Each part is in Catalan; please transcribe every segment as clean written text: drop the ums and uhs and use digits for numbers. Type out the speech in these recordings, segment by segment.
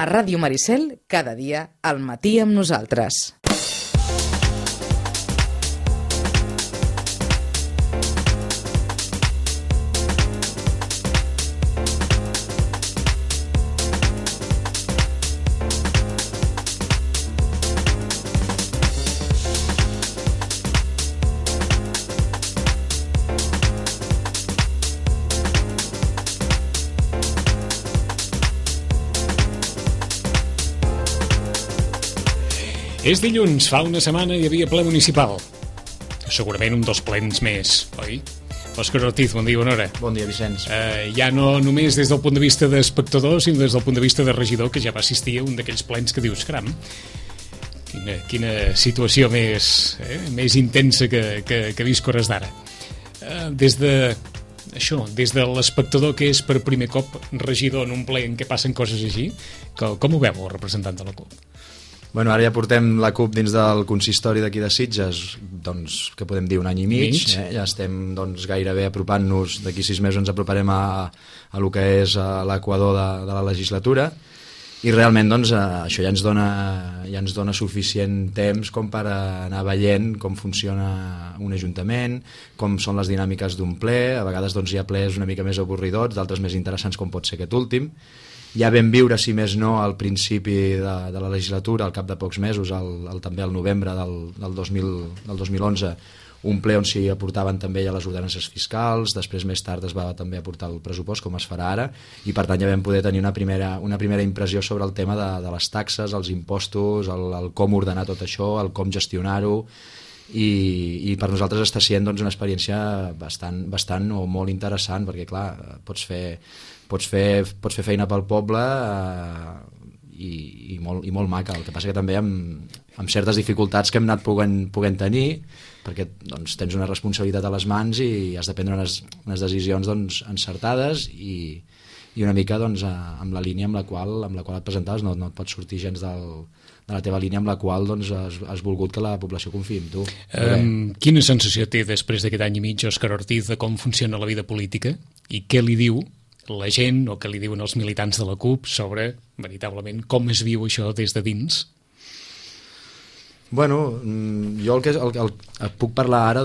A Ràdio Maricel, cada dia, al matí amb nosaltres. És dilluns, fa una setmana hi havia ple municipal. Segurament un dels plens més, oi? Òscar Ortiz, bon dia, bona hora. Bon dia, Vicenç. Ja no només des del punt de vista d'espectador, sinó des del punt de vista de regidor, que ja va assistir a un d'aquells plens que dius, caram, quina situació més intensa que visc hores d'ara. Des de l'espectador que és per primer cop regidor en un ple en què passen coses així, com ho veu el representant de la CUP? Bueno, ara ja portem la CUP dins del consistori d'aquí de Sitges, doncs, que podem dir un any i mig. Ja estem gairebé apropant-nos, d'aquí 6 mesos ens aproparem a lo que és l'equador de la legislatura, i realment això ja ens dona suficient temps com per anar veient com funciona un ajuntament, com són les dinàmiques d'un ple. A vegades hi ha plens una mica més avorridors, d'altres més interessants, com pot ser aquest últim. Ja vam viure, si més no, al principi de la legislatura, al cap de pocs mesos, també al novembre del 2011, un ple on s'hi aportaven també ja les ordenances fiscals. Després, més tard, es va també aportar el pressupost, com es farà ara, i per tant ja vam poder tenir una primera impressió sobre el tema de les taxes, els impostos, el com ordenar tot això, el com gestionar-ho, i per nosaltres està sent una experiència bastant o molt interessant, perquè clar, pots fer feina pel poble i molt maca. El que passa que també amb certes dificultats que hem anat podent tenir, perquè tens una responsabilitat a les mans i has de prendre unes decisions encertades i una mica amb la línia amb la qual et presentaves. No et pots sortir gens de la teva línia amb la qual has volgut que la població confiï en tu. Quina sensació té després d'aquest any i mig Òscar Ortiz de com funciona la vida política i què li diu la gent o què li diuen els militants de la CUP sobre, veritablement, com es viu això des de dins? Bueno, jo et puc parlar ara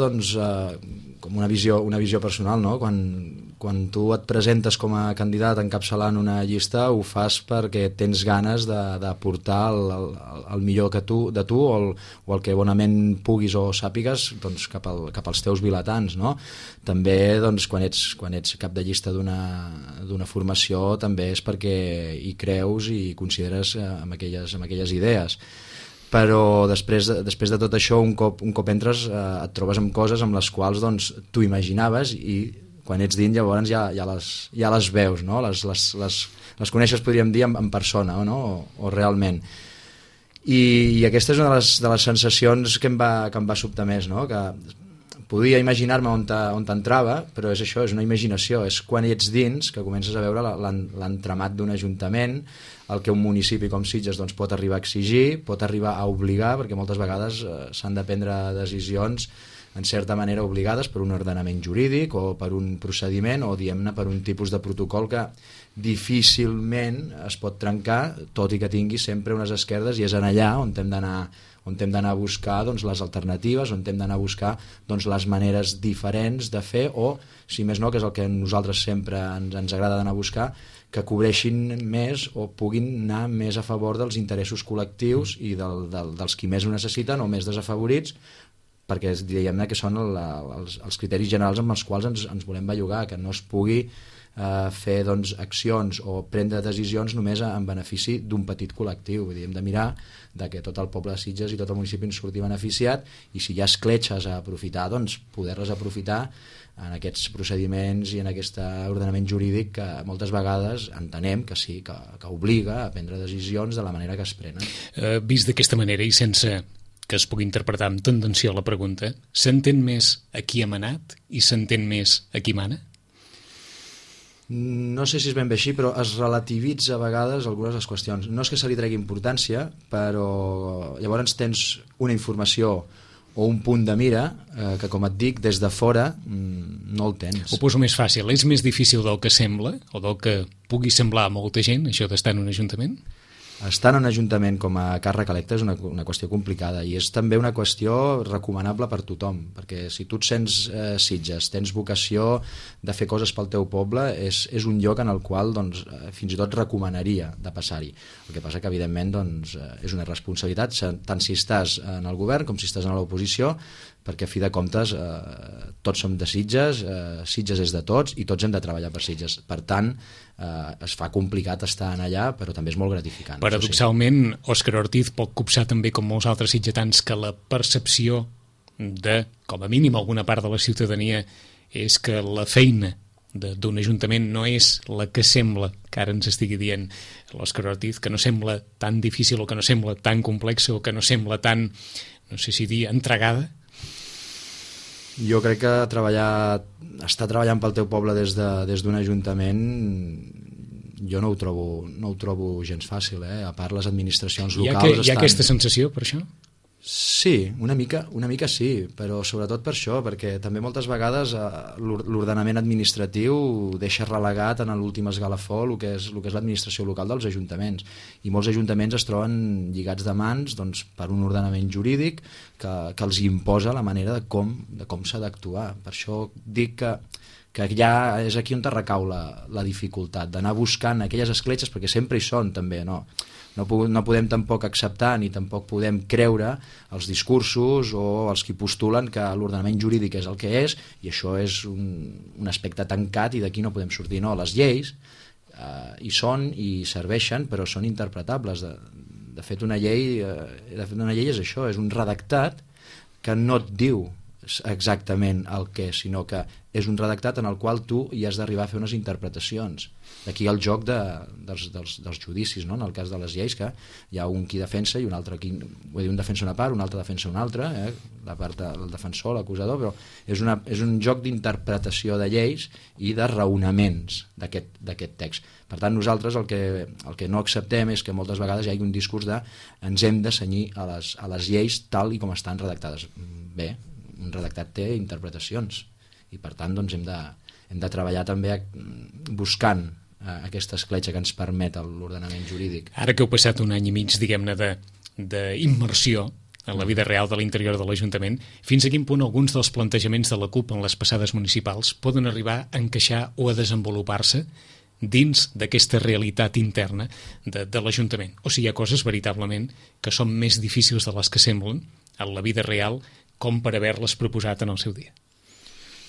com una visió personal, no? Quan tu et presentes com a candidat encapçalant una llista, ho fas perquè tens ganes d'aportar el millor de tu o el que bonament puguis o sàpigues cap als teus vilatans, no? També quan ets cap de llista d'una formació també és perquè hi creus i consideres amb aquelles idees. Però després de tot això, un cop entres, et trobes amb coses amb les quals tu imaginaves, i quan ets dins llavors ja les veus, no? Les coneixes, podríem dir, en persona, no? o realment. I aquesta és una de les sensacions que em va sobtar més, no? Que podia imaginar-me on t'entrava, però és això, és una imaginació, és quan ets dins que comences a veure l'entramat d'un ajuntament, el que un municipi com Sitges pot arribar a exigir, pot arribar a obligar, perquè moltes vegades s'han de prendre decisions en certa manera obligades per un ordenament jurídic o per un procediment o, diguem-ne, per un tipus de protocol que difícilment es pot trencar, tot i que tingui sempre unes esquerdes, i és en allà on hem d'anar a buscar les alternatives, on hem d'anar a buscar les maneres diferents de fer, o, si més no, que és el que a nosaltres sempre ens agrada d'anar a buscar, que cobreixin més o puguin anar més a favor dels interessos col·lectius i dels qui més ho necessiten o més desafavorits, perquè diguem-ne que són els criteris generals amb els quals ens volem bellugar, que no es pugui fer accions o prendre decisions només en benefici d'un petit col·lectiu. Vull dir, hem de mirar que tot el poble de Sitges i tot el municipi en surti beneficiat, i si hi ha escletxes a aprofitar, poder-les aprofitar en aquests procediments i en aquest ordenament jurídic que moltes vegades entenem que sí, que obliga a prendre decisions de la manera que es prenen. Vist d'aquesta manera i sense que es pugui interpretar amb tendenció a la pregunta, s'entén més a qui ha manat i s'entén més a qui mana? No sé si és ben bé així, però es relativitza a vegades algunes de les qüestions. No és que se li tregui importància, però llavors tens una informació o un punt de mira que, com et dic, des de fora no el tens. Ho poso més fàcil, és més difícil del que sembla o del que pugui semblar a molta gent, això d'estar en un ajuntament? estar en un ajuntament com a càrrec electe és una qüestió complicada i és també una qüestió recomanable per tothom, perquè si tu et sents Sitges, tens vocació de fer coses pel teu poble, és un lloc en el qual doncs, fins i tot recomanaria de passar-hi. El que passa que evidentment doncs, és una responsabilitat tant si estàs en el govern com si estàs en l'oposició, perquè a fi de comptes tots som de Sitges, Sitges és de tots i tots hem de treballar per Sitges. Per tant, es fa complicat estar allà, però també és molt gratificant. Paradoxalment, Òscar Ortiz pot copsar també, com molts altres sitgetans, que la percepció de, com a mínim, alguna part de la ciutadania és que la feina d'un ajuntament no és la que sembla, que ara ens estigui dient l'Òscar Ortiz, que no sembla tan difícil o que no sembla tan complexa o que no sembla tan, no sé si dir, entregada. Jo crec que estar treballant pel teu poble des d'un ajuntament jo no ho trobo gens fàcil, a part les administracions locals... Hi ha aquesta sensació per això? Sí, una mica sí, però sobretot per això, perquè també moltes vegades l'ordenament administratiu deixa relegat en l'últim esgalafó el que és l'administració local dels ajuntaments, i molts ajuntaments es troben lligats de mans doncs, per un ordenament jurídic que els imposa la manera de com s'ha d'actuar. Per això dic que ja és aquí on recau la dificultat d'anar buscant aquelles escletxes, perquè sempre hi són també, no podem tampoc acceptar ni tampoc podem creure els discursos o els qui postulen que l'ordenament jurídic és el que és i això és un aspecte tancat i d'aquí no podem sortir. No, les lleis hi són i serveixen, però són interpretables. De fet, una llei és això, és un redactat que no et diu exactament el que és, sinó que és un redactat en el qual tu hi has d'arribar a fer unes interpretacions. D'aquí el joc dels judicis, no? En el cas de les lleis, que hi ha un qui defensa i un altre un defensa una part, un altre defensa una altra, la part del defensor, l'acusador, però és un joc d'interpretació de lleis i de raonaments d'aquest text. Per tant, nosaltres el que no acceptem és que moltes vegades hi hagi un discurs de ens hem de cenyir a les lleis tal i com estan redactades. Bé, un redactat té interpretacions i per tant doncs, hem de treballar també buscant aquesta escletxa que ens permet l'ordenament jurídic. Ara que heu passat un any i mig, diguem-ne, d'immersió en la vida real de l'interior de l'Ajuntament, fins a quin punt alguns dels plantejaments de la CUP en les passades municipals poden arribar a encaixar o a desenvolupar-se dins d'aquesta realitat interna de l'Ajuntament? O sigui, hi ha coses veritablement que són més difícils de les que semblen en la vida real com per haver-les proposat en el seu dia.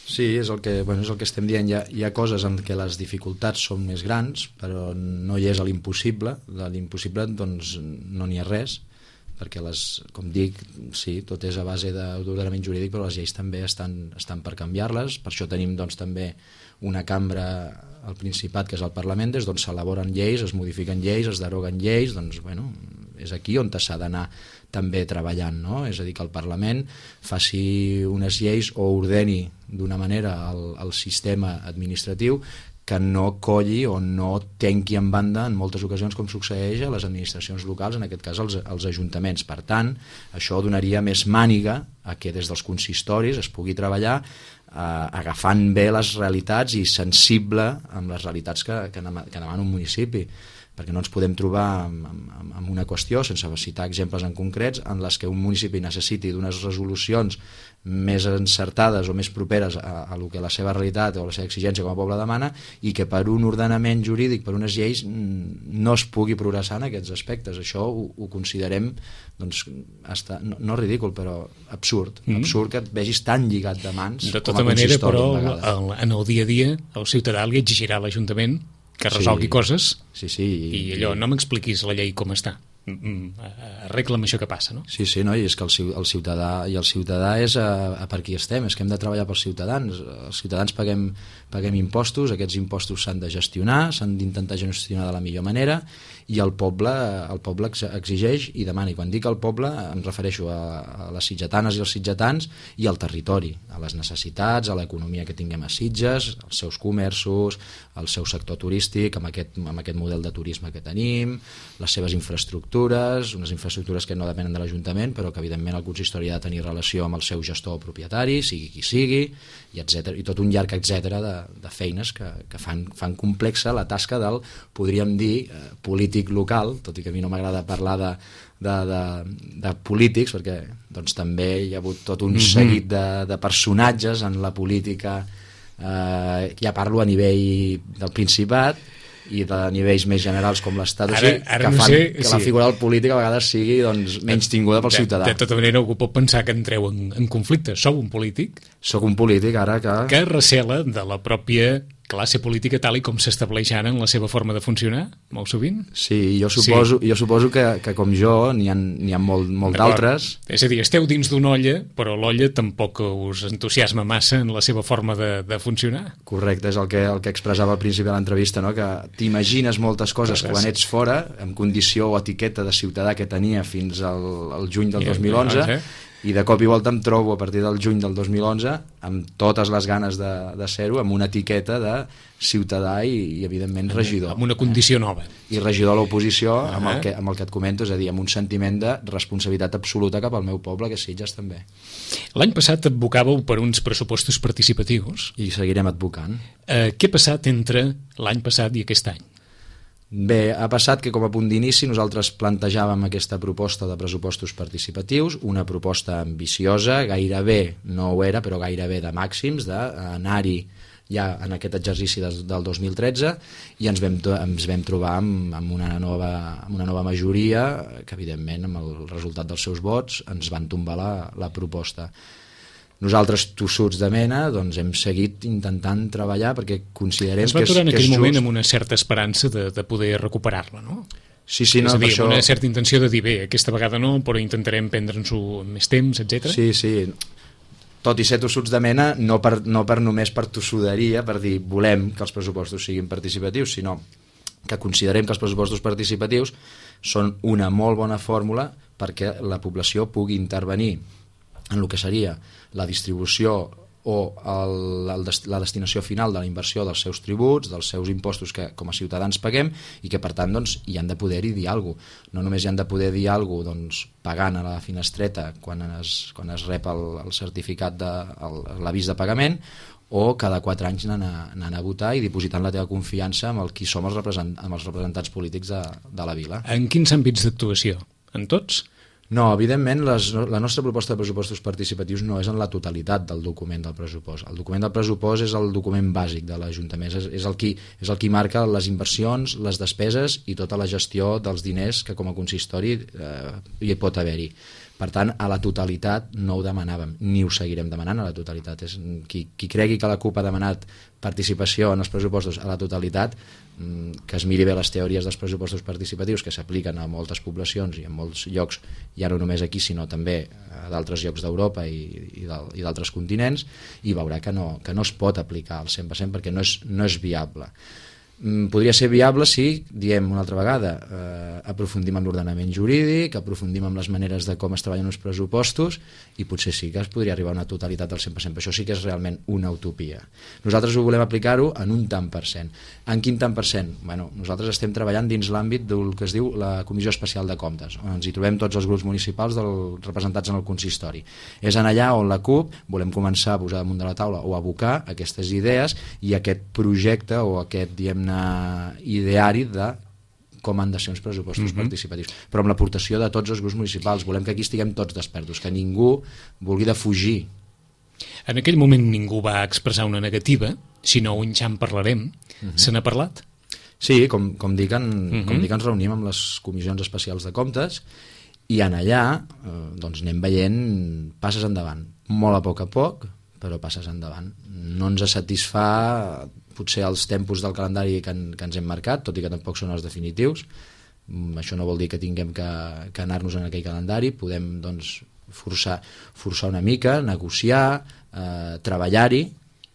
Sí, és el que estem dient. Hi ha coses en què les dificultats són més grans, però no hi és a l'impossible. De l'impossible doncs, no n'hi ha res, perquè, com dic, sí, tot és a base d'ordenament jurídic, però les lleis també estan per canviar-les. Per això tenim doncs, també una cambra al Principat, que és el Parlament, des d'on s'elaboren lleis, es modifiquen lleis, es deroguen lleis, doncs, bueno, és aquí on s'ha d'anar també treballant, no? És a dir, que el Parlament faci unes lleis o ordeni d'una manera el sistema administratiu que no colli o no tenqui en banda en moltes ocasions com succeeix a les administracions locals, en aquest cas als ajuntaments. Per tant, això donaria més màniga a que des dels consistoris es pugui treballar agafant bé les realitats i sensible amb les realitats que demana un municipi, perquè no ens podem trobar amb una qüestió, sense citar exemples en concrets, en les que un municipi necessiti d'unes resolucions més encertades o més properes a lo que la seva realitat o la seva exigència com a poble demana i que per un ordenament jurídic, per unes lleis, no es pugui progressar en aquests aspectes. Això ho considerem doncs, no ridícul, però absurd. Absurd que et vegis tan lligat de mans de tota manera, però en el dia a dia el ciutadà li exigirà a l'Ajuntament que resolgui coses i allò, no m'expliquis la llei com està, arregla'm això que passa, no? Sí, no, i és que el ciutadà és per qui estem, és que hem de treballar pels ciutadans. Els ciutadans paguem impostos, aquests impostos s'han de gestionar, s'han d'intentar gestionar de la millor manera i el poble exigeix i demana, i quan dic el poble em refereixo a les sitgetanes i els sitgetans i al territori, a les necessitats, a l'economia que tinguem a Sitges, als seus comerços, al seu sector turístic, amb aquest model de turisme que tenim, les seves infraestructures, unes infraestructures que no depenen de l'Ajuntament, però que evidentment el consistori ha de tenir relació amb el seu gestor o propietari, sigui qui sigui, i tot un llarg etcètera de feines que fan complexa la tasca del, podríem dir, polític polític local, tot i que a mi no m'agrada parlar de polítics, perquè doncs, també hi ha hagut tot un seguit de personatges en la política, ja parlo a nivell del Principat i de nivells més generals com l'Estat, que fan que la figura del polític a vegades sigui doncs, menys tinguda pel ciutadà. De tota manera, algú pot pensar que entreu en conflicte. Sou un polític? Soc un polític, ara que recela de la pròpia classe política tal i com s'estableix ara en la seva forma de funcionar, molt sovint? Sí, jo suposo que com jo n'hi ha molt d'altres. És a dir, esteu dins d'una olla, però l'olla tampoc us entusiasma massa en la seva forma de funcionar? Correcte, és el que expressava al principi de l'entrevista, no? Que t'imagines moltes coses quan ets fora, en condició o etiqueta de ciutadà que tenia fins al juny del 2011, i de cop i volta em trobo a partir del juny del 2011 amb totes les ganes de ser-ho, amb una etiqueta de ciutadà i evidentment regidor. Amb una condició nova. I regidor a l'oposició, amb el que et comento, és a dir, amb un sentiment de responsabilitat absoluta cap al meu poble, que és Sitges també. L'any passat advocàveu per uns pressupostos participatius. I seguirem advocant. Què ha passat entre l'any passat i aquest any? Bé, ha passat que com a punt d'inici nosaltres plantejàvem aquesta proposta de pressupostos participatius, una proposta ambiciosa, gairebé no ho era, però gairebé de màxims, d'anar-hi ja en aquest exercici del 2013, i ens vam trobar amb una nova majoria que evidentment amb el resultat dels seus vots ens van tombar la proposta. Nosaltres, tossuts de mena, doncs hem seguit intentant treballar perquè considerem que és just. Es va aturar en aquell moment amb una certa esperança de poder recuperar-la, no? Sí, no, és a dir, amb una certa intenció de dir, bé, aquesta vegada no, però intentarem prendre'ns-ho més temps, etc. Sí. Tot i ser tossuts de mena, no només per tossuderia, per dir volem que els pressupostos siguin participatius, sinó que considerem que els pressupostos participatius són una molt bona fórmula perquè la població pugui intervenir en el que seria la distribució o la destinació final de la inversió dels seus tributs, dels seus impostos que com a ciutadans paguem, i que per tant doncs, hi han de poder-hi dir alguna cosa. No només hi han de poder dir alguna cosa doncs, pagant a la finestreta quan es rep el certificat de l'avís de pagament, o cada 4 anys anant a votar i dipositant la teva confiança amb qui som els representants polítics de la vila. En quins àmbits d'actuació? En tots? No, evidentment la nostra proposta de pressupostos participatius no és en la totalitat del document del pressupost. El document del pressupost és el document bàsic de l'Ajuntament, és el qui marca les inversions, les despeses i tota la gestió dels diners que com a consistori hi pot haver-hi. Per tant, a la totalitat no ho demanàvem, ni ho seguirem demanant a la totalitat. Qui cregui que la CUP ha demanat participació en els pressupostos a la totalitat, que es miri bé les teories dels pressupostos participatius que s'apliquen a moltes poblacions i en molts llocs, ja no només aquí sinó també a d'altres llocs d'Europa i d'altres continents, i veurà que no es pot aplicar al 100% perquè no és viable. Podria ser viable si, diem una altra vegada, aprofundim en l'ordenament jurídic, aprofundim en les maneres de com es treballen els pressupostos, i potser sí que es podria arribar a una totalitat del 100%, però això sí que és realment una utopia. Nosaltres ho volem aplicar-ho en un tant per cent. En quin tant per cent? Bueno, nosaltres estem treballant dins l'àmbit del que es diu la Comissió Especial de Comptes, on ens hi trobem tots els grups municipals representats en el consistori. És en allà on la CUP volem començar a posar damunt de la taula o a abocar aquestes idees i aquest projecte o aquest, diguem-ne, ideari de com han de ser uns pressupostos participatius, però amb l'aportació de tots els grups municipals. Volem que aquí estiguem tots despertos, que ningú vulgui defugir. En aquell moment ningú va expressar una negativa, sinó un ja en parlarem. Se n'ha parlat? Sí, com dic, ens reunim amb les comissions especials de comptes i en allà doncs anem veient passes endavant, molt a poc, però passes endavant. No ens satisfà potser els tempos del calendari que ens hem marcat, tot i que tampoc són els definitius. Això no vol dir que tinguem que anar-nos en aquell calendari, podem doncs, forçar una mica, negociar, treballar-hi,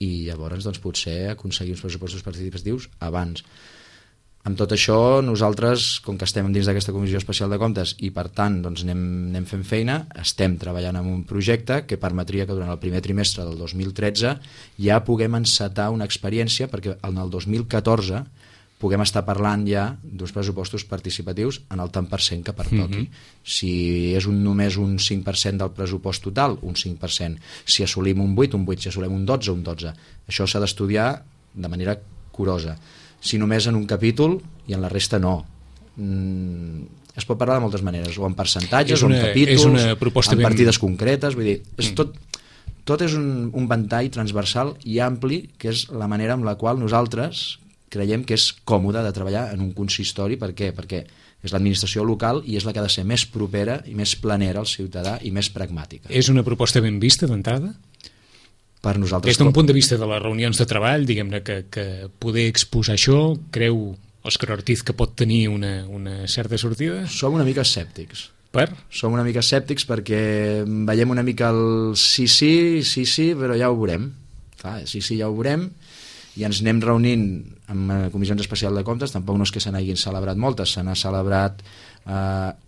i llavors doncs, potser aconseguir uns pressupostos participatius abans. Amb tot això, nosaltres, com que estem dins d'aquesta Comissió Especial de Comptes i per tant doncs, anem fent feina, estem treballant en un projecte que permetria que durant el primer trimestre del 2013 ja puguem encetar una experiència perquè en el 2014 puguem estar parlant ja d'uns pressupostos participatius en el tant per cent que pertoqui. Si és només un 5% del pressupost total, un 5%. Si assolim un 8, un 8. Si assolim un 12, un 12. Això s'ha d'estudiar de manera curosa. Si només en un capítol i en la resta no. es pot parlar de moltes maneres, o en percentatges, o en és una capítols, en partides concretes, vull dir, és tot és un ventall transversal i ampli, que és la manera amb la qual nosaltres creiem que és còmode de treballar en un consistori. Per què? Perquè és l'administració local i és la que ha de ser més propera i més planera al ciutadà i més pragmàtica. És una proposta ben vista d'entrada? Per nosaltres... Des d'un punt de vista de les reunions de treball, diguem-ne que poder exposar això, creu Òscar Ortiz que pot tenir una certa sortida? Som una mica escèptics. Per? Som una mica escèptics perquè veiem una mica el sí, però ja ho veurem. Clar, sí, ja ho veurem, i ens anem reunint amb comissions especials de comptes. Tampoc no és que se n'hagin celebrat moltes, se n'ha celebrat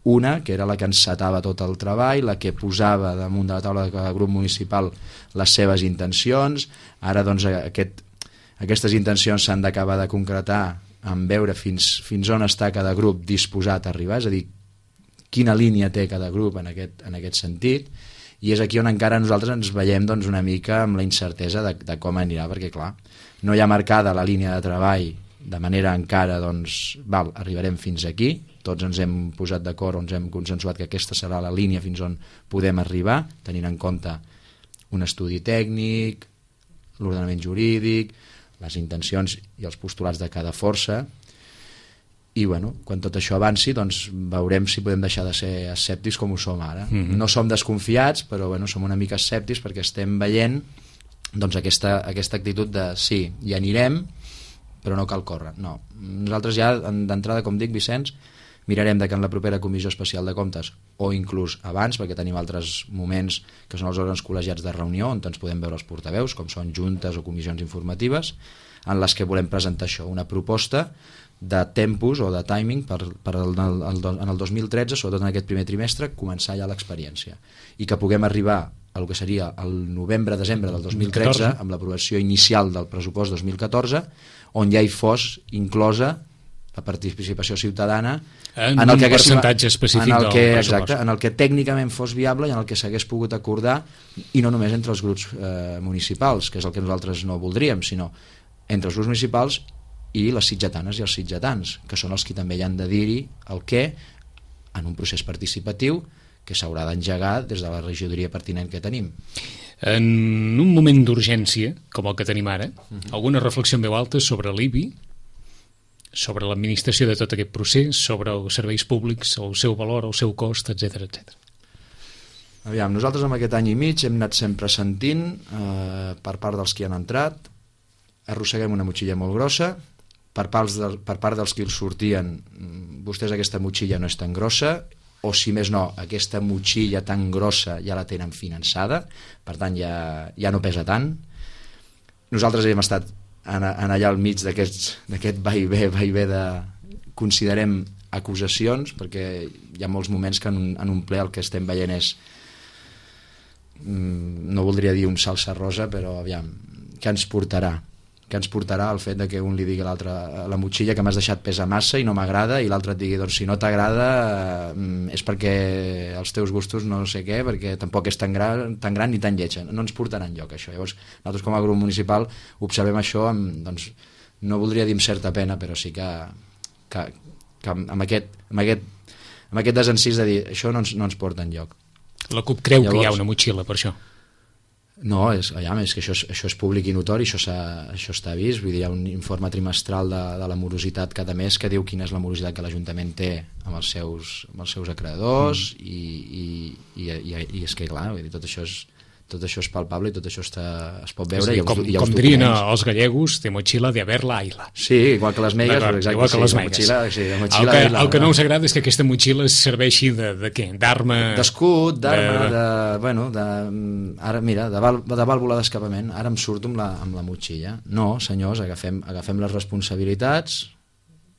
una, que era la que encetava tot el treball, la que posava damunt de la taula de cada grup municipal les seves intencions. Ara doncs aquestes intencions s'han d'acabar de concretar en veure fins on està cada grup disposat a arribar, és a dir, quina línia té cada grup en aquest sentit, i és aquí on encara nosaltres ens veiem doncs, una mica amb la incertesa de com anirà, perquè clar, no hi ha marcada la línia de treball de manera encara, doncs, arribarem fins aquí, tots ens hem posat d'acord, ens hem consensuat que aquesta serà la línia fins on podem arribar, tenint en compte un estudi tècnic, l'ordenament jurídic, les intencions i els postulats de cada força, i bueno, quan tot això avanci doncs veurem si podem deixar de ser escèptics com ho som ara. No som desconfiats, però bueno, som una mica escèptics perquè estem veient doncs aquesta actitud de sí, hi anirem, però no cal córrer. No. Nosaltres ja d'entrada, com dic, Vicenç, mirarem que en la propera comissió especial de comptes, o inclús abans, perquè tenim altres moments que són els òrgans col·legiats de reunió on ens podem veure els portaveus, com són juntes o comissions informatives, en les que volem presentar això, una proposta de tempos o de timing en el 2013, sobretot en aquest primer trimestre, començar ja l'experiència, i que puguem arribar al que seria el novembre-desembre del 2013 amb l'aprovació inicial del pressupost 2014, on ja hi fos inclosa la participació ciutadana en el que percentatge específic del pressupost. Exacte, en el que tècnicament fos viable i en el que s'hagués pogut acordar, i no només entre els grups municipals, que és el que nosaltres no voldríem, sinó entre els grups municipals i les sitgetanes i els sitgetans, que són els que també hi han de dir-hi el què en un procés participatiu que s'haurà d'engegar des de la regidoria pertinent que tenim. En un moment d'urgència, com el que tenim ara, alguna reflexió en veu alta sobre l'IBI, sobre l'administració de tot aquest procés, sobre els serveis públics, el seu valor, el seu cost, etc etc. Aviam, nosaltres en aquest any i mig hem anat sempre sentint per part dels que han entrat, arrosseguem una motxilla molt grossa, per part dels que els sortien, vostès aquesta motxilla no és tan grossa, o si més no, aquesta motxilla tan grossa ja la tenen finançada, per tant ja no pesa tant. Nosaltres hem estat en allà al mig d'aquest va i ve de, considerem, acusacions, perquè hi ha molts moments que en un ple el que estem veient és, no voldria dir un salsa rosa, però aviam, què ens portarà el fet de que un li digui a l'altre la motxilla que m'has deixat pesa massa i no m'agrada, i l'altre et digui doncs si no t'agrada és perquè els teus gustos no sé què, perquè tampoc és tan gran ni tan lletja, no ens portarà enlloc això. Llavors nosaltres com a grup municipal observem això amb, doncs, no voldria dir amb certa pena, però sí que amb aquest desencís de dir això no ens porta enlloc. La CUP creu que hi ha una motxilla per això? No, és que això és públic i notori, això està vist, vull dir, hi ha un informe trimestral de la morositat cada mes que diu quina és la morositat que l'Ajuntament té amb els seus acreedors, i és que clar, vull dir, tot això és palpable i tot això es pot veure. Com dirien els gallegos, de mochila de haberla aila. Sí, igual que les meigues, exacte. Igual que les meigues. El que no us agrada és que aquesta motxilla serveixi de què? D'arma? D'escut, ara mira, de vàlvula d'escapament. Ara em surto amb la motxilla. No, senyors, agafem les responsabilitats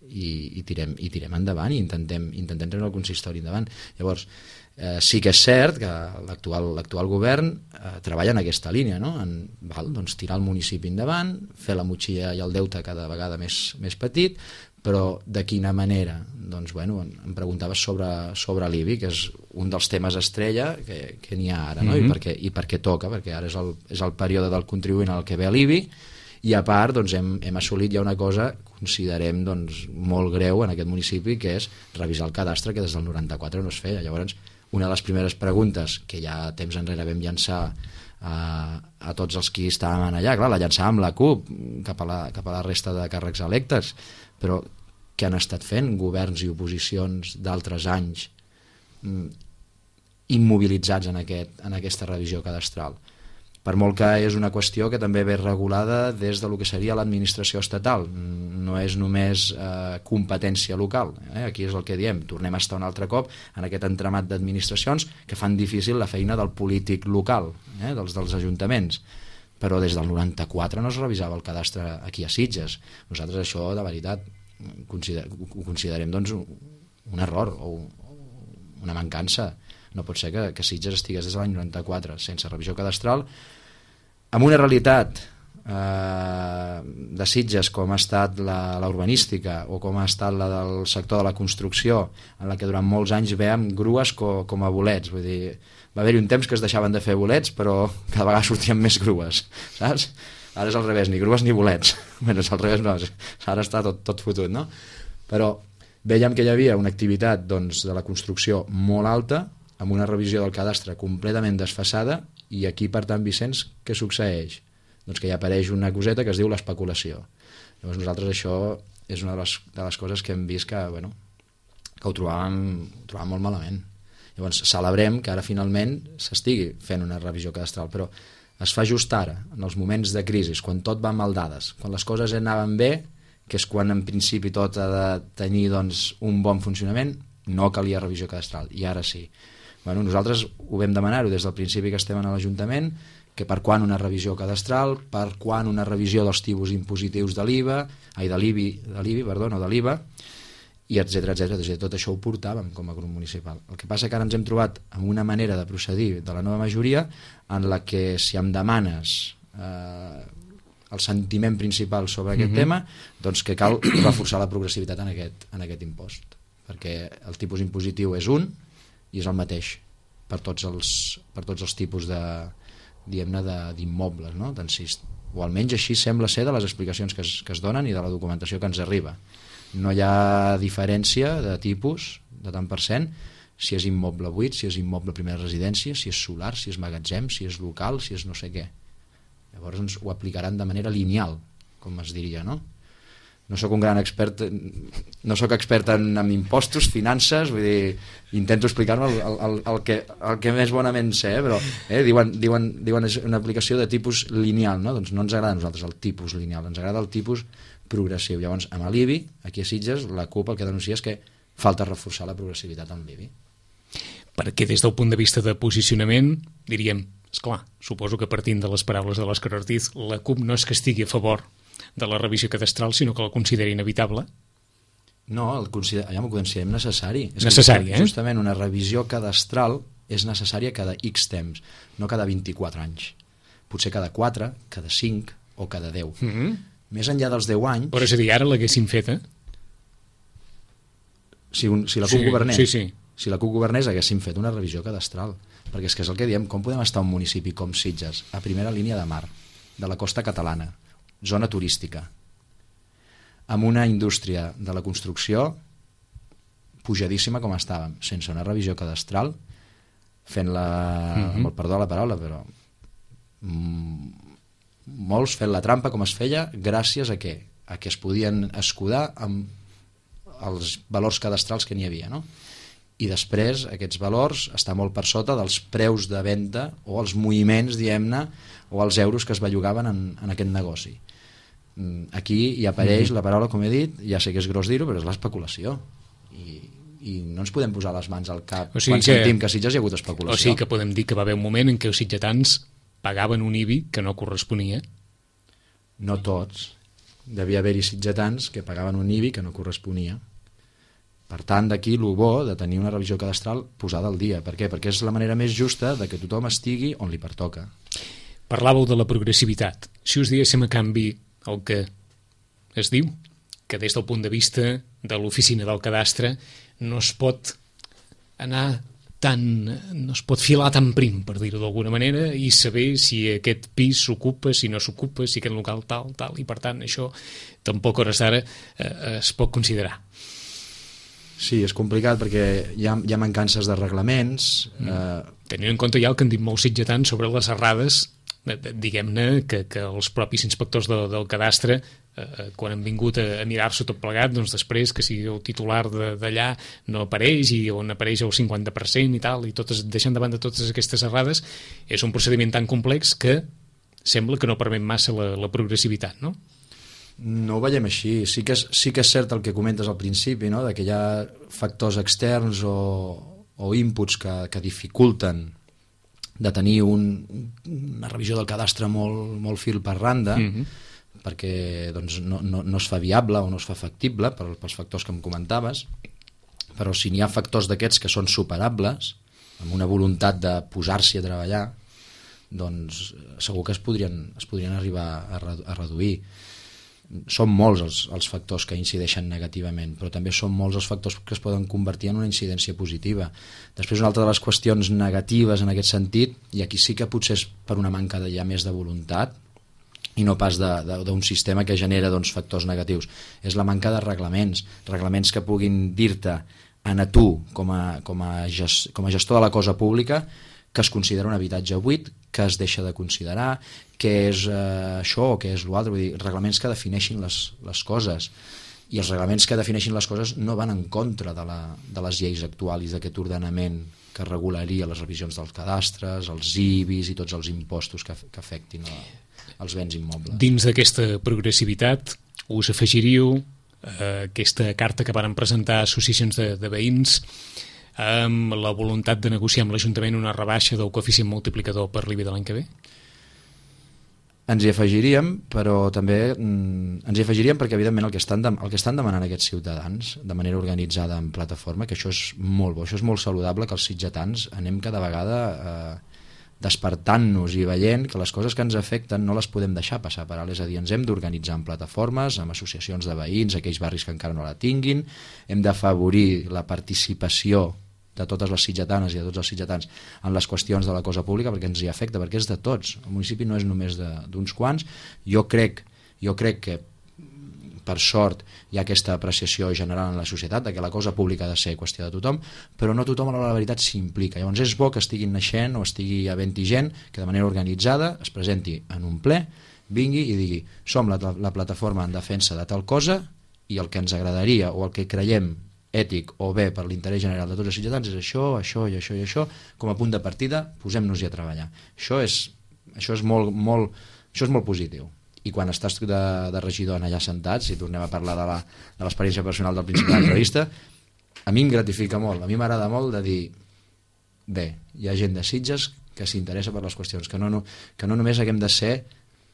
i tirem endavant i intentem treure el consistori endavant. Llavors, sí que és cert que l'actual govern treballa en aquesta línia, no? Doncs tirar el municipi endavant, fer la motxilla i el deute cada vegada més petit, però de quina manera? Doncs bueno, em preguntaves sobre l'IBI, que és un dels temes estrella que n'hi ha ara, no? I per què toca? Perquè ara és el període del contribuent al que ve l'IBI, I a part doncs, hem assolit ja una cosa, considerem doncs, molt greu en aquest municipi, que és revisar el cadastre, que des del 94 no es feia. Llavors, una de les primeres preguntes que ja temps enrere vam llançar a tots els qui estàvem allà, clar, la llançàvem la CUP cap a la resta de càrrecs electes, però què han estat fent governs i oposicions d'altres anys immobilitzats en aquesta revisió cadastral? Per molt que és una qüestió que també ve regulada des de lo que seria l'administració estatal, no és només competència local, aquí és el que diem, tornem a estar un altre cop en aquest entramat d'administracions que fan difícil la feina del polític local, dels ajuntaments, però des del 94 no es revisava el cadastre aquí a Sitges. Nosaltres això, de veritat, ho considerem doncs, un error o una mancança. No pot ser que Sitges estigués des de l'any 94 sense revisió cadastral, amb una realitat de Sitges com ha estat la urbanística o com ha estat la del sector de la construcció, en la que durant molts anys veiem grues com a bolets. Vull dir, va haver-hi un temps que es deixaven de fer bolets, però cada vegada sortien més grues, saps? Ara és al revés, ni grues ni bolets. Bé, és al revés, no, ara està tot fotut, no? Però veiem que hi havia una activitat doncs, de la construcció molt alta, amb una revisió del cadastre completament desfasada, i aquí, per tant, Vicenç, què succeeix? Doncs que hi apareix una coseta que es diu l'especulació. Llavors nosaltres això és una de les coses que hem vist que ho trobàvem molt malament. Llavors celebrem que ara finalment s'estigui fent una revisió cadastral, però es fa just ara, en els moments de crisi, quan tot va mal dades, quan les coses anaven bé, que és quan en principi tot ha de tenir doncs, un bon funcionament, no calia revisió cadastral, i ara sí. Bueno, nosaltres ho vam demanar-ho des del principi que estem a l'Ajuntament, que per quan una revisió cadastral, per quan una revisió dels tipus impositius de l'IVA, de l'IVA, i etcètera. Tot això ho portàvem com a grup municipal. El que passa que ara ens hem trobat amb una manera de procedir de la nova majoria en la que si em demanes el sentiment principal sobre aquest tema, doncs que cal reforçar la progressivitat en aquest impost, perquè el tipus impositiu és un i és el mateix per tots els tipus d'immobles, no? O almenys així sembla ser de les explicacions que es donen i de la documentació que ens arriba. No hi ha diferència de tipus, de tant per cent, si és immoble buit, si és immoble primera residència, si és solar, si és magatzem, si és local, si és no sé què. Llavors ens ho aplicaran de manera lineal, com es diria, no? No soc un gran expert, no soc expert en impostos, finances, vull dir, intento explicar-me el que més bonament sé, però diuen una aplicació de tipus lineal, no? Doncs no ens agrada a nosaltres el tipus lineal, ens agrada el tipus progressiu. Llavors, amb l'IBI, aquí a Sitges, la CUP el que denuncia és que falta reforçar la progressivitat amb l'IBI. Perquè des del punt de vista de posicionament, diríem, esclar, suposo que partint de les paraules de l'Òscar Ortiz, la CUP no és que estigui a favor de la revisió cadastral, sinó que la considera inevitable? No, ho considerem necessari. Necessari, Justament una revisió cadastral és necessària cada X temps, no cada 24 anys. Potser cada 4, cada 5 o cada 10. Més enllà dels 10 anys... Però és a dir, ara l'haguessin feta? Si la CUP governés. Sí. Si la CUP governés haguéssim fet una revisió cadastral. Perquè és que és el que diem, com podem estar a un municipi com Sitges, a primera línia de mar, de la costa catalana, zona turística, amb una indústria de la construcció pujadíssima com estàvem, sense una revisió cadastral, fent-la, amb el perdó de la paraula, però molts fent la trampa com es feia gràcies a què? A que es podien escudar amb els valors cadastrals que n'hi havia, no? I després aquests valors estan molt per sota dels preus de venda o els moviments, diguem-ne, o els euros que es bellugaven en aquest negoci. Aquí hi apareix la paraula, com he dit, ja sé que és gros dir-ho, però és l'especulació. I no ens podem posar les mans al cap quan sentim que a Sitges hi ha hagut especulació. O sigui que podem dir que va haver un moment en què els sitgetans pagaven un IBI que no corresponia? No tots. Devia haver-hi sitgetans que pagaven un IBI que no corresponia. Per tant, d'aquí el bo de tenir una revisió cadastral posada al dia. Per què? Perquè és la manera més justa de que tothom estigui on li pertoca. Parlàveu de la progressivitat. Si us diguéssim a canvi el que es diu, que des del punt de vista de l'oficina del cadastre no es pot anar no es pot filar tan prim, per dir-ho d'alguna manera, i saber si aquest pis s'ocupa, si no s'ocupa, si aquest local tal, i per tant això tampoc a hores d'ara es pot considerar. Sí, és complicat perquè hi ha mancances de reglaments. Tenint en compte ja el que han dit molts sitgetans sobre les errades, diguem-ne que els propis inspectors del cadastre, quan han vingut a mirar-s'ho tot plegat, doncs després que sigui el titular d'allà no apareix, i on apareix el 50% i tal, i deixant de banda totes aquestes errades, és un procediment tan complex que sembla que no permet massa la progressivitat, no? No ho veiem així. Sí que és cert el que comentes al principi, no? De que hi ha factors externs o inputs que dificulten de tenir una revisió del cadastre molt fil per randa, perquè doncs, no es fa viable o no es fa factible pels factors que em comentaves, però si n'hi ha factors d'aquests que són superables, amb una voluntat de posar-s'hi a treballar, doncs segur que es podrien arribar a reduir. Són molts els factors que incideixen negativament, però també són molts els factors que es poden convertir en una incidència positiva. Després, una altra de les qüestions negatives en aquest sentit, i aquí sí que potser és per una manca ja més de voluntat, i no pas d'un sistema que genera factors negatius, és la manca de reglaments que puguin dir-te a tu, com a gestor de la cosa pública, que es considera un habitatge buit, que es deixa de considerar, què és això o què és l'altre. Vull dir, reglaments que defineixin les coses. I els reglaments que defineixin les coses no van en contra de les lleis actuals d'aquest ordenament que regularia les revisions dels cadastres, els IBIs i tots els impostos que afectin els béns immobles. Dins d'aquesta progressivitat us afegiríeu aquesta carta que varen presentar associacions de veïns amb la voluntat de negociar amb l'Ajuntament una rebaixa del coeficient multiplicador per l'IBI de l'any que ve? Ens hi afegiríem, però també ens hi afegiríem perquè evidentment el que estan demanant aquests ciutadans de manera organitzada en plataforma, que això és molt bo, això és molt saludable, que els sitgetans anem cada vegada despertant-nos i veient que les coses que ens afecten no les podem deixar passar per alt, és a dir, ens hem d'organitzar en plataformes, amb associacions de veïns, aquells barris que encara no la tinguin, hem d'afavorir la participació de totes les sitgetanes i de tots els sitgetans en les qüestions de la cosa pública, perquè ens hi afecta, perquè és de tots. El municipi no és només d'uns quants. Jo crec que per sort hi ha aquesta apreciació general en la societat de que la cosa pública ha de ser qüestió de tothom, però no tothom a la veritat s'implica. Llavors és bo que estiguin naixent o estigui havent-hi gent que de manera organitzada es presenti en un ple, vingui i digui som la plataforma en defensa de tal cosa i el que ens agradaria o el que creiem ètic o bé per l'interès general de tots els ciutadans és això, això i això i això, com a punt de partida posem-nos-hi a treballar. Això és molt positiu. I quan estàs de regidor allà sentats, si tornem a parlar de l'experiència personal del principi de l'entrevista, a mi em gratifica molt, a mi m'agrada molt de dir bé, hi ha gent de Sitges que s'interessa per les qüestions, que no només haguem de ser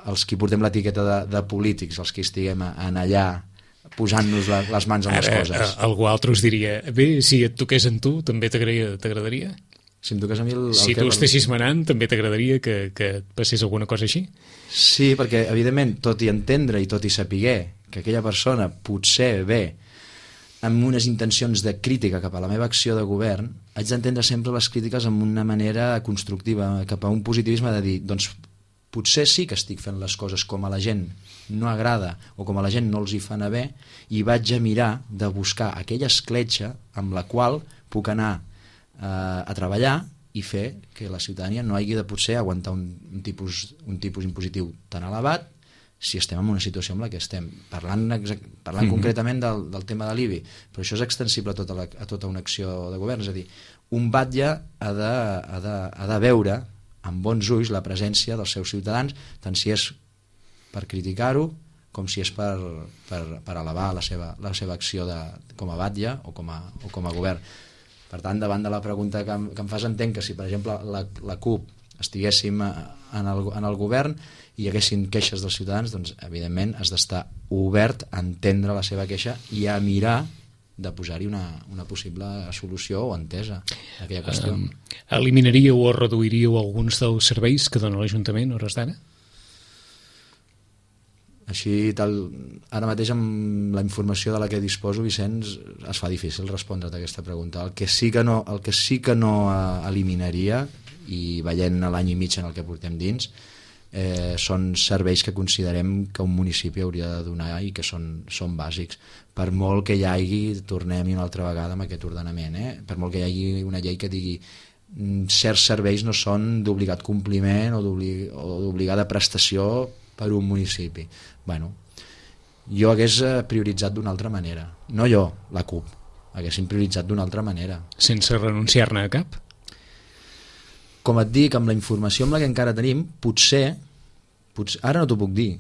els qui portem l'etiqueta de polítics, els que estiguem allà posant-nos les mans en les coses. Algú altre us diria, bé, si et toqués en tu, també t'agradaria? Si em toqués a mi si tu estessis manant, també t'agradaria que passés alguna cosa així? Sí, perquè evidentment, tot i entendre i tot i saber que aquella persona potser ve amb unes intencions de crítica cap a la meva acció de govern, haig d'entendre sempre les crítiques amb una manera constructiva, cap a un positivisme de dir, doncs potser sí que estic fent les coses com a la gent no agrada o com a la gent no els hi fa anar bé, i vaig a mirar de buscar aquella escletxa amb la qual puc anar a treballar i fer que la ciutadania no hagi de potser aguantar un tipus impositiu tan elevat si estem en una situació en la que estem. Parlant concretament del tema de l'IBI, però això és extensible a tota una acció de govern, és a dir, un batlle ha de veure amb bons ulls la presència dels seus ciutadans, tant si és per criticar-ho com si és per elevar la seva acció com a batlle o com a govern. Per tant, davant de la pregunta que em fas, entenc que si, per exemple, la CUP estiguéssim en el govern i hi haguessin queixes dels ciutadans, doncs, evidentment, has d'estar obert a entendre la seva queixa i a mirar de posar-hi una possible solució o entesa a aquella qüestió. Eliminaríeu o reduiríeu alguns dels serveis que dona l'Ajuntament a hores d'ara? Així, ara mateix amb la informació de la que disposo, Vicenç, es fa difícil respondre't a aquesta pregunta. El que sí que no eliminaria, i veient l'any i mig en el que portem dins, són serveis que considerem que un municipi hauria de donar i que són bàsics. Per molt que hi hagi, tornem-hi una altra vegada amb aquest ordenament, per molt que hi hagi una llei que digui certs serveis no són d'obligat compliment o d'obligada prestació per un municipi. Bueno, jo hagués prioritzat d'una altra manera. No jo, la CUP. Haguéssim prioritzat d'una altra manera. Sense renunciar-ne a cap? Com et dic, amb la informació amb la que encara tenim, potser ara no t'ho puc dir,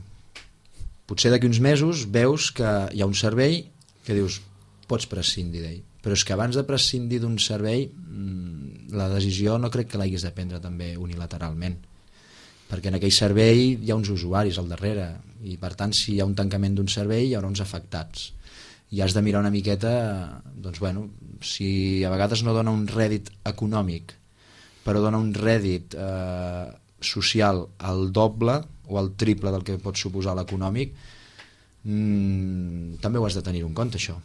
potser d'aquí uns mesos veus que hi ha un servei que dius, pots prescindir d'ell, però és que abans de prescindir d'un servei la decisió no crec que l'haguis de prendre també unilateralment, perquè en aquell servei hi ha uns usuaris al darrere i per tant si hi ha un tancament d'un servei hi haurà uns afectats i has de mirar una miqueta, doncs bueno, si a vegades no dona un rèdit econòmic però dona un rèdit social al doble o al triple del que pot suposar l'econòmic, també ho has de tenir en compte, això.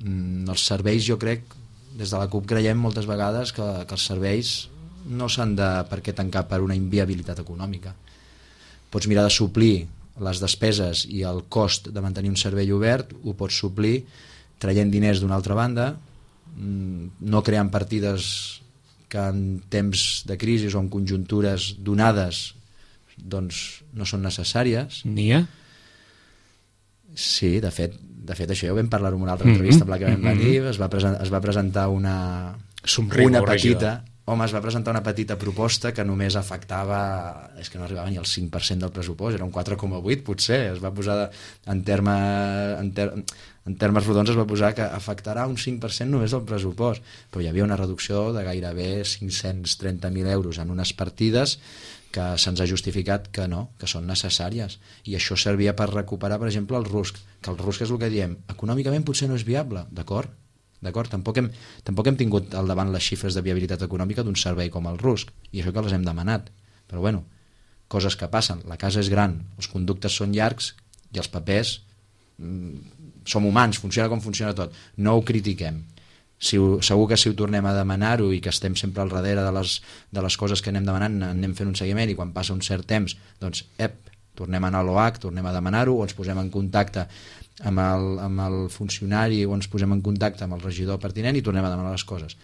Els serveis, jo crec, des de la CUP creiem moltes vegades que els serveis no s'han de per què tancar per una inviabilitat econòmica. Pots mirar de suplir les despeses i el cost de mantenir un servei obert, ho pots suplir traient diners d'una altra banda, no creant partides que en temps de crisi o en conjuntures donades doncs no són necessàries. N'hi ha? Sí, de fet això ja ho vam parlar en una altra entrevista amb la que vam venir, es va presentar una petita proposta que només afectava, és que no arribava ni al 5% del pressupost, era un 4,8 potser, es va posar en termes rodons es va posar que afectarà un 5% només del pressupost, però hi havia una reducció de gairebé 530.000 euros en unes partides que se'ns ha justificat que no, que són necessàries, i això servia per recuperar, per exemple, el RUSC, que el RUSC és el que diem, econòmicament potser no és viable, d'acord, tampoc hem tingut al davant les xifres de viabilitat econòmica d'un servei com el RUSC, i això que les hem demanat, però bueno, coses que passen, la casa és gran, els conductes són llargs i els papers som humans, funciona com funciona tot, no ho critiquem. Segur que si ho tornem a demanar-ho i que estem sempre al darrere de les coses que anem demanant, anem fent un seguiment i quan passa un cert temps, doncs, tornem a anar a l'OAC, tornem a demanar-ho o ens posem en contacte amb el funcionari o ens posem en contacte amb el regidor pertinent i tornem a demanar les coses.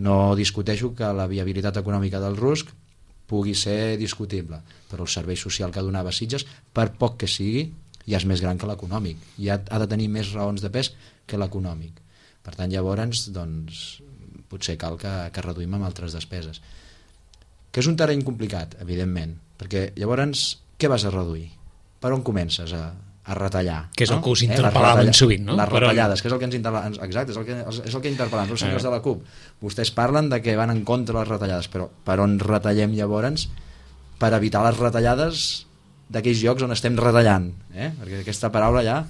No discuteixo que la viabilitat econòmica del RUSC pugui ser discutible, però el servei social que donava Sitges, per poc que sigui, ja és més gran que l'econòmic, ja ha de tenir més raons de pes que l'econòmic. Per tant, llavors, doncs, potser cal que reduïm amb altres despeses. Que és un terreny complicat, evidentment, perquè llavors, què vas a reduir? Per on comences a retallar? Que és el que us interpel·laven sovint, no? Les retallades, que és el que ens interpel·laven. Exacte, és el que interpel·laven els senyors de la CUP. Vostès parlen de que van en contra de les retallades, però per on retallem llavors? Per evitar les retallades d'aquells llocs on estem retallant, perquè aquesta paraula ja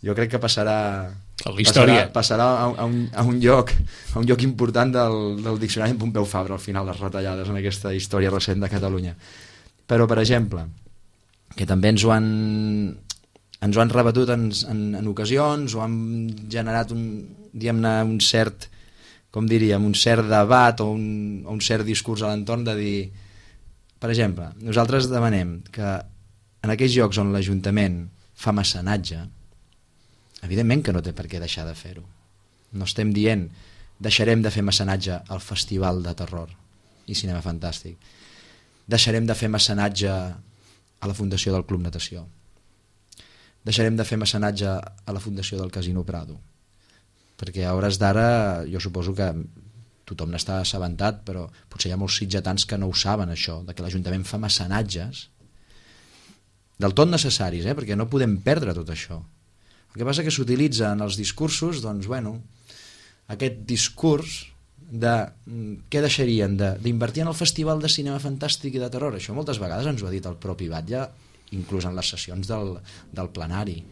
jo crec que passarà a la història, passarà a un lloc important del diccionari en Pompeu Fabra al final, les retallades en aquesta història recent de Catalunya. Però, per exemple, que també ens ho han rebatut en ocasions o han generat un cert, com diríem, un cert debat o un cert discurs a l'entorn de dir, per exemple, nosaltres demanem que en aquells llocs on l'Ajuntament fa mecenatge, evidentment que no té per què deixar de fer-ho. No estem dient deixarem de fer mecenatge al Festival de Terror i Cinema Fantàstic. Deixarem de fer mecenatge a la Fundació del Club Natació. Deixarem de fer mecenatge a la Fundació del Casino Prado. Perquè a hores d'ara jo suposo que tothom n'està assabentat, però potser hi ha molts sitgetans que no ho saben, això, de que l'Ajuntament fa mecenatges del tot necessaris, perquè no podem perdre tot això. El que passa que s'utilitza en els discursos, doncs, bueno, aquest discurs de què deixarien d'invertir en el Festival de Cinema Fantàstic i de Terror. Això moltes vegades ens ho ha dit el propi Batlle, inclús en les sessions del plenari.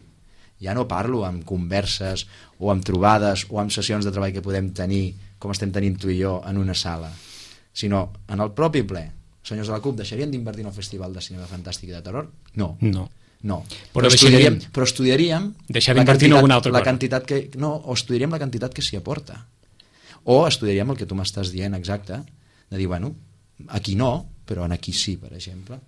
Ja no parlo amb converses o amb trobades o amb sessions de treball que podem tenir, com estem tenint tu i jo, en una sala, sinó en el propi ple. Senyors de la CUP, deixarien d'invertir en el Festival de Cinema Fantàstic i de Terror? No. No, però estudiaríem deixar d'invertir en alguna altra cosa. O estudiaríem la quantitat que s'hi aporta. O estudiaríem el que tu m'estàs dient exacte, de dir, bueno, aquí no, però en aquí sí, per exemple.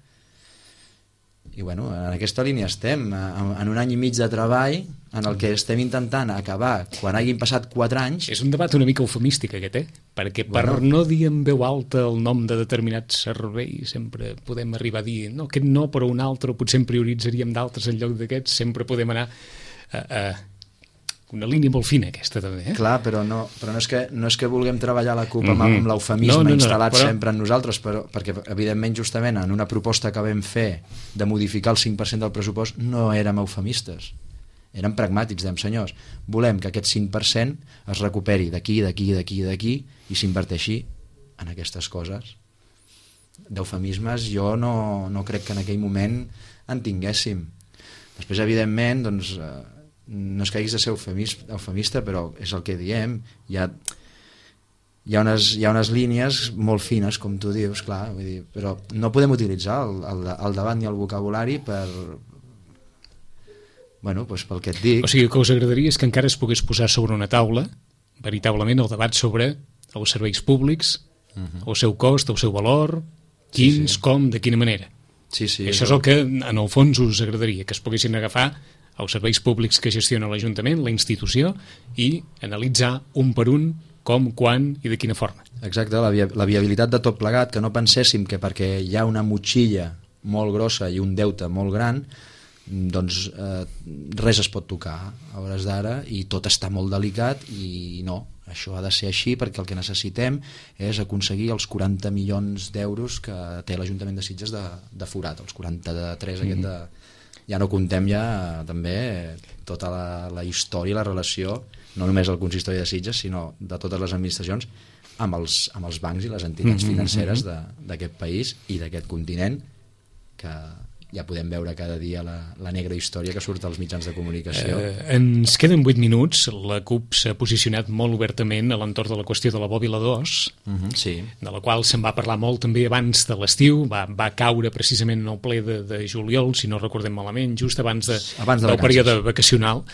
I bueno, en aquesta línia estem, en un any i mig de treball en el que estem intentant acabar quan hagin passat 4 anys. És un debat una mica eufemístic aquest, perquè per no dir en veu alta el nom de determinats serveis sempre podem arribar a dir, no, aquest no, però un altre, o potser en prioritzaríem d'altres en lloc d'aquests, sempre podem anar a una línia molt fina aquesta també. Clar, però no és que vulguem treballar la CUP amb l'eufemisme instal·lat sempre en nosaltres, perquè evidentment justament en una proposta que vam fer de modificar el 5% del pressupost no érem eufemistes, érem pragmàtics, dèiem, senyors, volem que aquest 5% es recuperi d'aquí i s'inverteixi en aquestes coses. D'eufemismes jo no crec que en aquell moment en tinguéssim. Després, evidentment, doncs no és que haguis de ser eufemista, però és el que diem, hi ha unes línies molt fines, com tu dius, clar, vull dir, però no podem utilitzar el debat ni el vocabulari pel que et dic. O sigui, el que us agradaria és que encara es pogués posar sobre una taula veritablement el debat sobre els serveis públics, el seu cost, el seu valor, quins, com, de quina manera. Sí, això és el que en el fons us agradaria, que es poguessin agafar els serveis públics que gestiona l'Ajuntament, la institució, i analitzar un per un com, quan i de quina forma. Exacte, la viabilitat de tot plegat, que no penséssim que perquè hi ha una motxilla molt grossa i un deute molt gran, doncs res es pot tocar a hores d'ara i tot està molt delicat i no, això ha de ser així perquè el que necessitem és aconseguir els 40 milions d'euros que té l'Ajuntament de Sitges de forat, els 43 aquest de... Ja no contem també tota la història i la relació, no només el consistori de Sitges, sinó de totes les administracions amb els bancs i les entitats financeres d'aquest país i d'aquest continent, que ja podem veure cada dia la negra història que surt als mitjans de comunicació. Ens queden 8 minuts. La CUP s'ha posicionat molt obertament a l'entorn de la qüestió de la Bòbila 2, sí. De la qual se'n va parlar molt també abans de l'estiu, va caure precisament en el ple de juliol, si no recordem malament, just abans del període vacacional.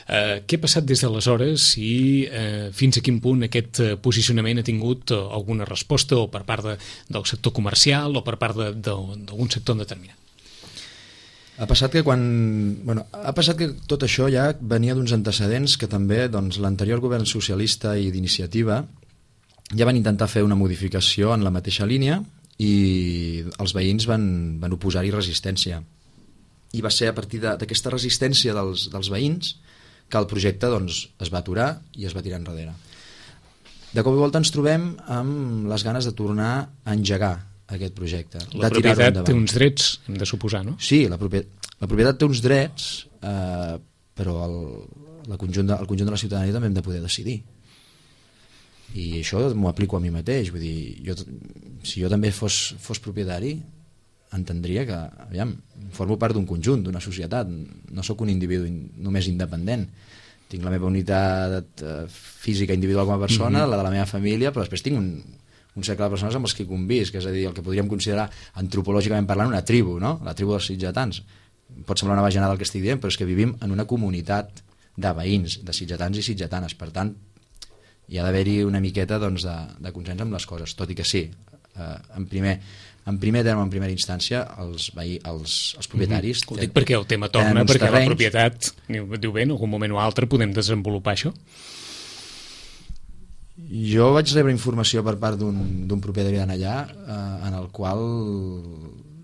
Què ha passat des d'aleshores i fins a quin punt aquest posicionament ha tingut alguna resposta o per part del sector comercial o per part d'algun sector determinat? Ha passat que tot això ja venia d'uns antecedents que també l'anterior govern socialista i d'iniciativa ja van intentar fer una modificació en la mateixa línia i els veïns van oposar-hi resistència. I va ser a partir d'aquesta resistència dels veïns que el projecte es va aturar i es va tirar enrere. De cop i volta ens trobem amb les ganes de tornar a engegar aquest projecte. La propietat té uns drets, hem de suposar, no? Sí, la propietat té uns drets, però el conjunt de la ciutadania també hem de poder decidir. I això m'ho aplico a mi mateix. Vull dir, si jo també fos propietari, entendria que, aviam, formo part d'un conjunt, d'una societat, no sóc un individu només independent. Tinc la meva unitat física individual com a persona, la de la meva família, però després tinc un cercle de persones amb els que convisc, és a dir, el que podríem considerar antropològicament parlant una tribu, no? La tribu dels sitgetans. Pot semblar una bajanada el que estic dient, però és que vivim en una comunitat de veïns, de sitgetans i sitgetanes, per tant hi ha d'haver-hi una miqueta de consens amb les coses, tot i que sí, en primer terme, en primera instància, els propietaris... Ho dic perquè el tema torna, perquè la propietat, diu bé, en algun moment o altre podem desenvolupar això? Jo vaig rebre informació per part d'un propietari d'allà en el qual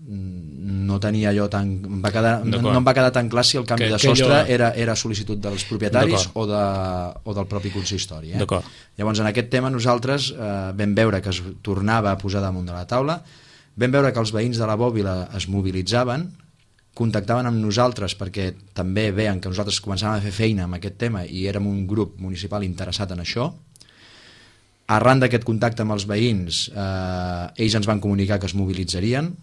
no tenia allò tan... no em va quedar tan clar si el canvi de sostre era sol·licitud dels propietaris o del propi consistori. Llavors, en aquest tema nosaltres vam veure que es tornava a posar damunt de la taula, vam veure que els veïns de la Bòbila es mobilitzaven, contactaven amb nosaltres perquè també veien que nosaltres començàvem a fer feina amb aquest tema i érem un grup municipal interessat en això. Arran d'aquest contacte amb els veïns, ells ens van comunicar que es mobilitzarien,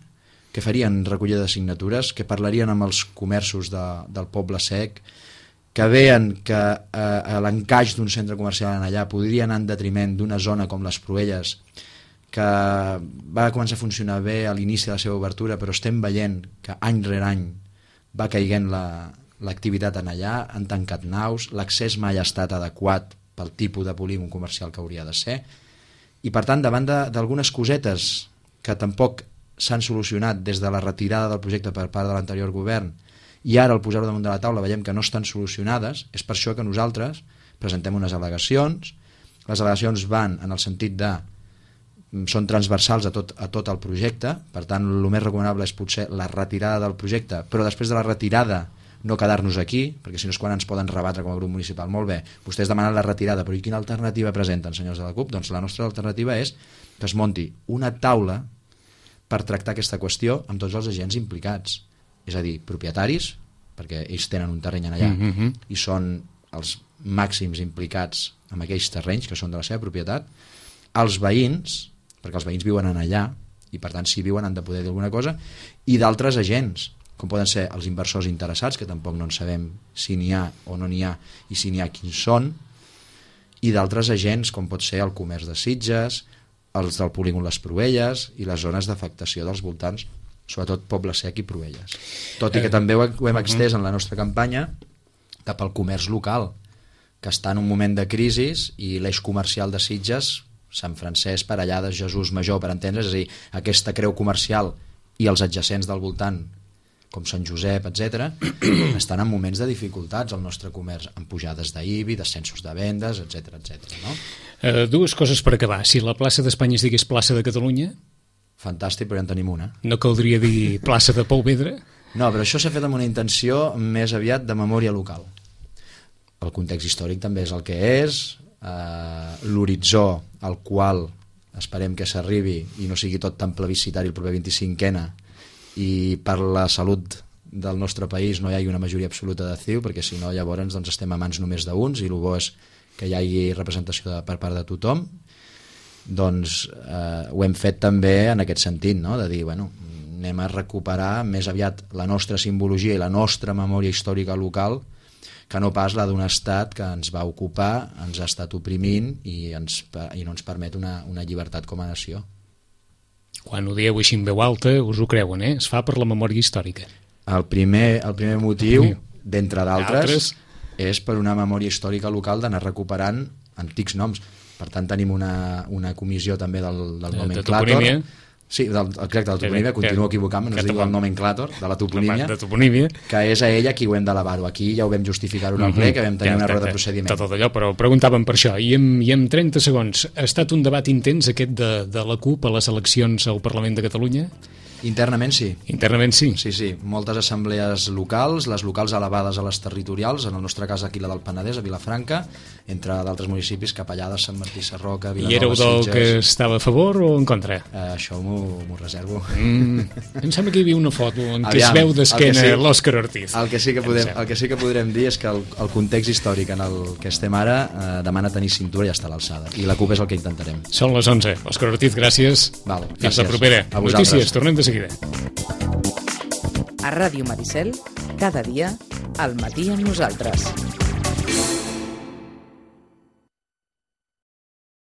que farien recollida de signatures, que parlarien amb els comerços del Poble Sec, que veien que l'encaix d'un centre comercial en allà podria anar en detriment d'una zona com les Proelles, que va començar a funcionar bé a l'inici de la seva obertura, però estem veient que any rere any va caiguent l'activitat en allà, han tancat naus, l'accés mai ha estat adequat pel tipus de polígon comercial que hauria de ser, i per tant davant d'algunes cosetes que tampoc s'han solucionat des de la retirada del projecte per part de l'anterior govern i ara al posar-ho damunt de la taula veiem que no estan solucionades, és per això que nosaltres presentem unes al·legacions. Les al·legacions van en el sentit de són transversals a tot el projecte, per tant el més recomanable és potser la retirada del projecte, però després de la retirada no quedar-nos aquí, perquè si no és quan ens poden rebatre com a grup municipal. Molt bé, vostès demanen la retirada, però i quina alternativa presenten, senyors de la CUP? Doncs la nostra alternativa és que es munti una taula per tractar aquesta qüestió amb tots els agents implicats, és a dir, propietaris, perquè ells tenen un terreny allà i són els màxims implicats en aquells terrenys que són de la seva propietat, els veïns, perquè els veïns viuen allà i per tant si viuen han de poder dir alguna cosa, i d'altres agents, com poden ser els inversors interessats, que tampoc no en sabem si n'hi ha o no n'hi ha, i si n'hi ha quins són, i d'altres agents, com pot ser el comerç de Sitges, els del polígon Les Proelles i les zones d'afectació dels voltants, sobretot Poble Sec i Proelles. Tot i que també ho hem extès en la nostra campanya cap al comerç local, que està en un moment de crisi i l'eix comercial de Sitges, Sant Francesc, Parellades, Jesús Major, per entendre's, és a dir, aquesta creu comercial i els adjacents del voltant, com Sant Josep, etc., estan en moments de dificultats al nostre comerç, amb pujades d'IBI, descensos de vendes, etc. No? Dues coses per acabar. Si la plaça d'Espanya es digués plaça de Catalunya... Fantàstic, però ja en tenim una. No caldria dir plaça de Pou Vedra? No, però això s'ha fet amb una intenció més aviat de memòria local. El context històric també és el que és, l'horitzó al qual esperem que s'arribi i no sigui tot tan plebiscitari el proper 25ena, i per la salut del nostre país no hi hagi una majoria absoluta de CiU, perquè si no llavors doncs, estem a mans només d'uns i el bo és que hi hagi representació per part de tothom. Doncs ho hem fet també en aquest sentit, no? De dir, bueno, anem a recuperar més aviat la nostra simbologia i la nostra memòria històrica local, que no pas la d'un estat que ens va ocupar, ens ha estat oprimint i no ens permet una llibertat com a nació. Quan ho dieu així en veu alta, us ho creuen, eh? Es fa per la memòria històrica. El primer motiu, d'entre d'altres, és per una memòria històrica local d'anar recuperant antics noms. Per tant, tenim una comissió també del nomenclàtor. De toponímia. Sí, exacte, de la toponímia, continuo equivocant-me, no es diu el nomenclàtor, de la toponímia, que és a ella qui ho hem d'elevar-ho. Aquí ja ho vam justificar-ho en el ple, que vam tenir una roda de procediment. Tot allò, però preguntàvem per això. I en 30 segons, ha estat un debat intens aquest de la CUP a les eleccions al Parlament de Catalunya? Internament sí. Internament sí? Sí. Moltes assemblees locals, les locals elevades a les territorials, en el nostre cas aquí la del Penedès, a Vilafranca, entre d'altres municipis, Capellades, Sant Martí Sarroca, Vilanova, I éreu del que estava a favor o en contra? Això m'ho reservo. Em sembla que hi havia una foto en què es veu d'esquena l'Òscar Ortiz. El que sí que podrem dir és que el context històric en el que estem ara demana tenir cintura i estar a l'alçada. I la CUP és el que intentarem. Són les 11. Òscar Ortiz, gràcies. Fins la propera. Notícies, tornem de seguida. A Ràdio Maricel, cada dia, al matí amb nosaltres.